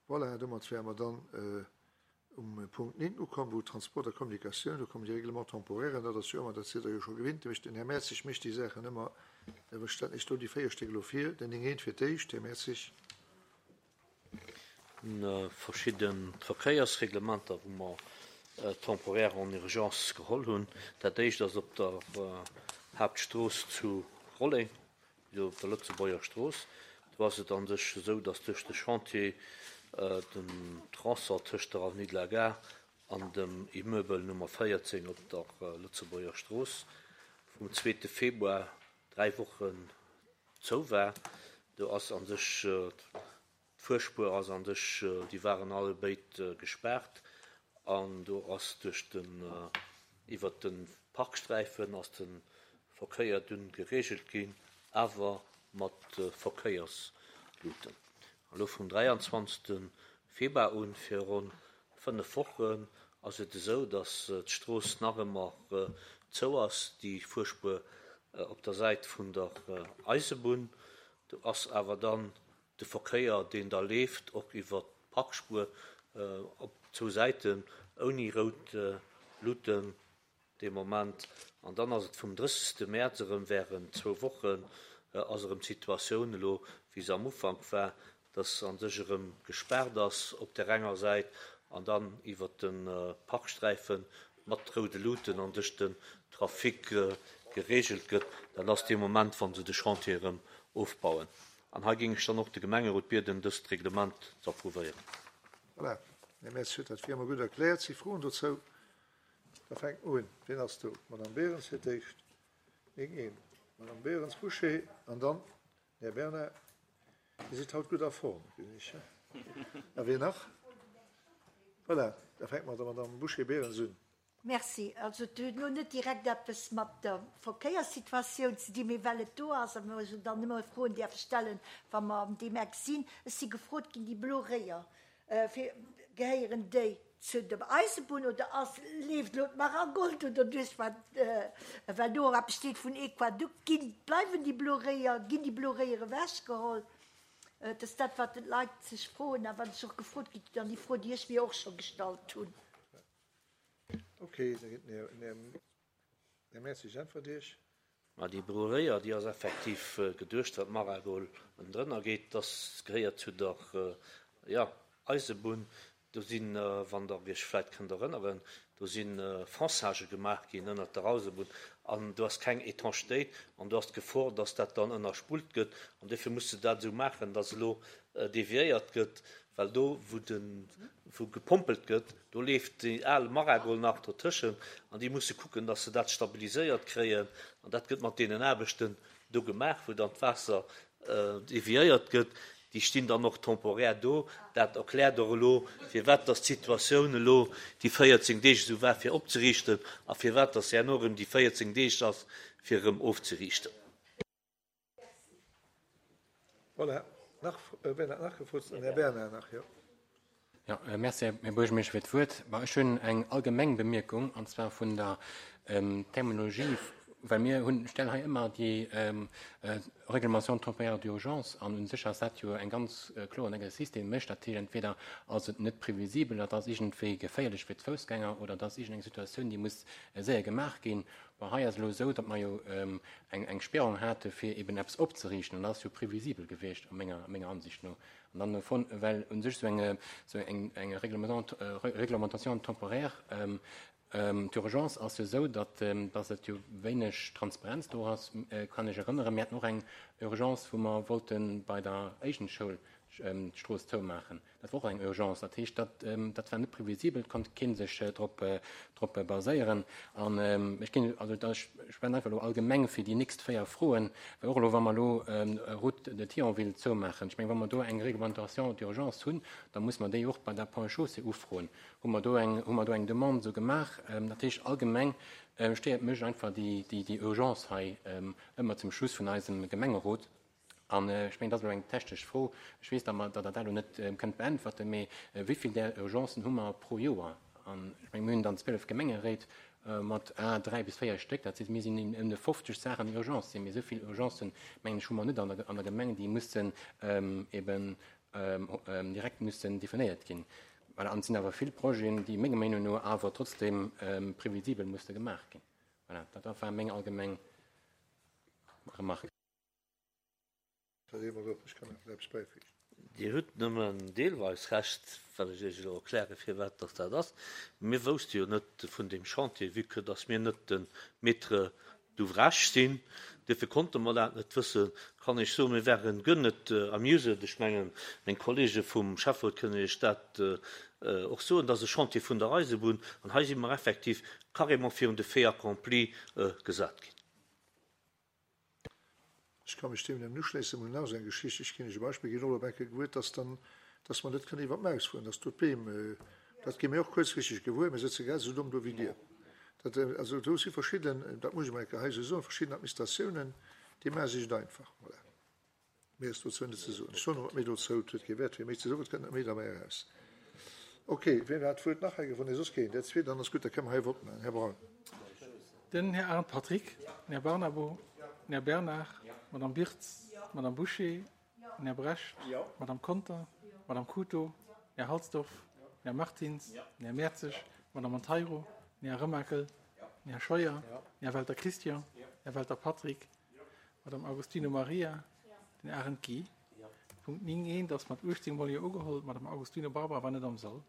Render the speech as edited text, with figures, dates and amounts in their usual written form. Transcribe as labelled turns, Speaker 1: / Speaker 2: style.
Speaker 1: Voilà, domat wäre mer dann um Punkt 9 ukomm, wou Transport a Kommunikatioun, do kommen déi Règlements temporairen, dat ass jo ëmmer, dat sidd Der jo scho gewinnt, da mécht den Här Mertzig mécht déi Saachen ëmmer, da stellen ech do déi 4 Stéck elo vir, den 9 fir d'éischt, Här Mertzig.
Speaker 2: Verschidde Verkéiersreglementer, wou mer temporaire en urgence geholl hunn. Dat éischt ass op der Haaptstrooss zu Rolleng, jo op der Lëtzebuerger Strooss. Do ass et a sech esou, datt duerch de Chantier den Tronçon tëscht der Avenue de la Gare an dem Immeuble Nummer 14 op der Lëtzebuerger Strooss vum zweete Februar dräi Wochen zou war. Do ass a sech D'Fuerspuer ass an sech, déi waren alle béid gespaart an do ass duerch den, iwwert de Parksträifen ass de Verkéier dunn gereegelt ginn, awer mat Verkéiersluten. Elo vum 23. Februar un, fir ronn 5 Wochen, ass et esou, datt d'Strooss nach ëmmer zou ass, déi Fuerspuer op der Säit vun der Eisebunn. Do ass awer dann de Verkéier, deen da leeft, och iwwer d'Parkspuer op zwou Säiten, ouni rout Luuten dee Moment. An dann ass et vum 30. Mäerz erëm während zwou Wochen ass erëm d'Situatioun elo, wéi se am Ufank war, dass a sech erëm gespaart ass op där enger Säit an dann iwwer de Parksträife mat roude Luuten an sech den Trafic gereegelt gëtt. Dat ass dee Moment, wa se de Chantier erëm ofbauen. An hei géing ech dann och de Gemengerot bieden, dëst Reglement ze approuvéieren.
Speaker 1: Voilà, Här Metz huet dat wéi ëmmer gutt erkläert. Si Froen dozou? Da fänke mer un. Wien ass do? D'Madame Berens fir d'éischt. Neen, een. D'Madame Berens, Bouché an dann den Här Bernard. Dir sidd haut gutt a Form, gesinn ech. A wien nach? Voilà, da fänke mer mat der Madame Bouché-Berens un.
Speaker 3: Merci. Also et huet elo net direkt eppes mat der Verkéierssituatioun ze dinn, mee well et do ass a mer jo dann ëmmer Froen däerfe stellen, wa mer an deem Eck sinn. Ech si gefrot ginn, déi blo Réier, fir, gehéieren déi zu der Eisebunn oder ass, leeft elo d'Maragold do derduerch, wat, well do och eppes steet vun Equadukt. Ginn, bleiwen déi blo Réier, ginn déi blo Réier ewechgeholl? Et ass dat, wat d'Leit sech froen a wat ech och gefrot ginn an déi Fro, déi ech mir och scho gestallt hunn.
Speaker 1: Ok, da gëtt den Här Mertzig äntwert Iech.
Speaker 2: Ma déi Brûléier, déi ass effektiv geduecht, wat d'Maragol ënnendrënner geet, dass gehéiert zu der, jo, Eisebunn. Do sinn, wann Der Iech vläicht kënnt erënneren, do si Fonçagë gemaach ginn ënnert der Eisebunn an do ass keng Étanchéitéit an do ass d'Gefor, dass dat dann ënnerspullt gëtt an duerfir muss se dat esou maachen, dass elo deviéiert gëtt, well do wou de wou gepompelt gëtt, do leeft déi al Maragol nach dotëschent an déi musse kucken, datt se dat stabiliséiert kréien an dat gëtt mat deenen Aarbechten do gemaach, wou dann d'Waasser deviéiert gëtt. Déi stinn dann och temporär do. Dat erkläert och elo, firwat datt d'Situatioun elo déi 14 Deeg esou war fir opzeriichten a firwat datt se herno erëm déi 14 Deeg ass fir erëm ofzeriichten.
Speaker 1: Voilà, nach, wien hat nach gefrot? Den Här Bernard nach, jo.
Speaker 4: Jo, merci, Här Buergermeeschter, fir d'Wuert. Bon, ech hunn eng allgemeng Bemierkung, an zwar vun der Terminologie, well mir hunn, stellen hei ëmmer déi Réglementation temporaire d'urgence an u sech ass dat jo eng ganz kloren Exercice, dee mécht. Dat heescht, entweder ass et net previsibel, dat ass iergendwéi geféierlech fir d'Foussgänger oder et ass iergendeng Situatioun, déi muss séier gemaach ginn. Bon, hei ass elo esou, datt mer jo eng Sperrung hate fir eben eppes opzeriichten, an dat ass jo previsibel gewiescht a menger, menger Ansicht no. An dann dovun, well u sech esou eng, esou eng, eng Réglementation temporaire d'urgence ass jo esou, datt, datt et jo wéineg Transparenz do ass. Kann ech erënneren, mir haten och eng Urgence, wou mer wollte bei der Éigent-Schoul d'Strooss zoumaachen. Dat war och eng Urgence. Dat heescht, dat, dat war net previsibel, et konnt kee sech drop, drop baséieren. An ech ginn, also da, ech schwätzen einfach elo allgemeng fir déi nächst 4 Froen, well och elo, wa mer elo Route de Thionville zoumaachen, ech mengen, wa mer do eng Réglementation d'urgence hunn, da muss mer déi och bei der Ponts et Chaussées ufroen. Hu mer do eng, hu mer do eng Demande esou gemaach? Dat heescht, allgemeng stéiert mech einfach déi, déi, déi Urgence hei ëmmer zum Schluss vun eisem Gemengerot. An ech mengen, dat ass elo eng technesch Fro, ech weess, datt mer, datt Der dat elo net kënnt beäntwerten, mee wéi vill där Urgencen hu mer pro Joer? An ech mengen, mir hunn dann 12 Gemengeréit mat à 3 bis 4 Stéck, dat heescht, mir sinn ëm de 50 Saachen, déi Urgence sinn. Mee esou vill Urgencen, mengen ech, hu mer net an der, an der Gemeng, déi mussen eben. direkt mussen definéiert ginn. Voilà, an et sinn awer vill Projeten, déi menger Meenung no awer trotzdem previsibel musse gemaach ginn. Voilà, dat war meng allgemeng Remarque.
Speaker 2: Dir hutt nëmmen deelweis Recht, well ech Iech elo erkläre firwat dass dat ass. Mir wousste jo net vun deem Chantier, vue que dass mir net de Maître d'ouvrage sinn. Duerfir konnte mer dat net wëssen. Kann ech soen, mir waren guer net amused. Ech mengen, meng Kollege vum Schäfferot kënnen Iech dat och soen. Dat ass e Chantier vun der Eisebunn an hei si mer effektiv carrément virun de Fait accompli gesat ginn.
Speaker 1: Ech ka mech deem nëmmen uschléissen. Mir hunn nach esou eng Geschicht, ech ginn Iech e Beispill, ginn och op eng Kéier gewuer, dass dann, dass mer net kënnen iwwer d'Maus fueren, dass do d'Beem, dat gi mir och kuerzfristeg gewuer, mir sëtze grad esou domm do wéi Dir. Dat, also do si verschidden, dat muss ech emol eng Kéier hei esou soen, verschidden Administratiounen, déi maache sech et einfach. Voilà. Méi ass dozou net ze soen. Ech soen och net méi dozou, et huet kee Wäert fir méi ze soen, et kënnt net méi derbäi eraus. Ok, wien hat d'Wuert nach hei gewonn? Nee, soss keen. Dat zweet, dann ass gutt, da kënne mer hei e Vott maachen. Här Braun.
Speaker 5: Den Här Arndt Patrick, den Här Barnabo, den Här Bernard, d'Madame Birtz, d'Madame Bouché, den Här Brecht, d'Madame Conter, d'Madame Cooto, den Här Halsdorf, den Här Martins, den Här Mertzig, d'Madame Monteiro, den Här Remakel, den Här Scheuer, den Här Welter Christian, den Här Welter Patrick, Madame Agostino Maria, den Arendt Guy. Punkt 9 eent ass mat 18 Mol Jo ugeholl, d'Madame Agostino Barbara war net am Sall.